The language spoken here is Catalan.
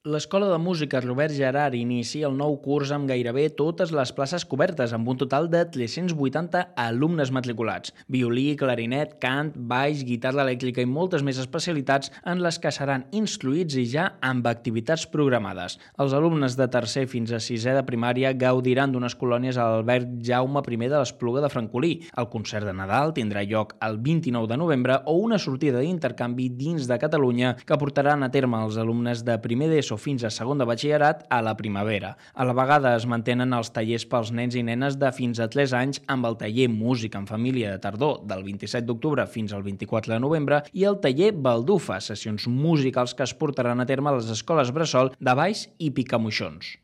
L'Escola de Música Robert Gerard inicia el nou curs amb gairebé totes les places cobertes, amb un total de 380 alumnes matriculats. Violí, clarinet, cant, baix, guitarra elèctrica i moltes més especialitats en les que seran instruïts i ja amb activitats programades. Els alumnes de tercer fins a sisè de primària gaudiran d'unes colònies a l'Albert Jaume I de l'Espluga de Francolí. El concert de Nadal tindrà lloc el 29 de novembre o una sortida d'intercanvi dins de Catalunya que portaran a terme els alumnes de primer d'ESO fins a segon de batxillerat a la primavera. A la vegada es mantenen els tallers pels nens i nenes de fins a 3 anys amb el taller Música en Família de tardor del 27 d'octubre fins al 24 de novembre i el taller Baldufa, sessions musicals que es portaran a terme a les escoles bressol de Valls i Picamoixons.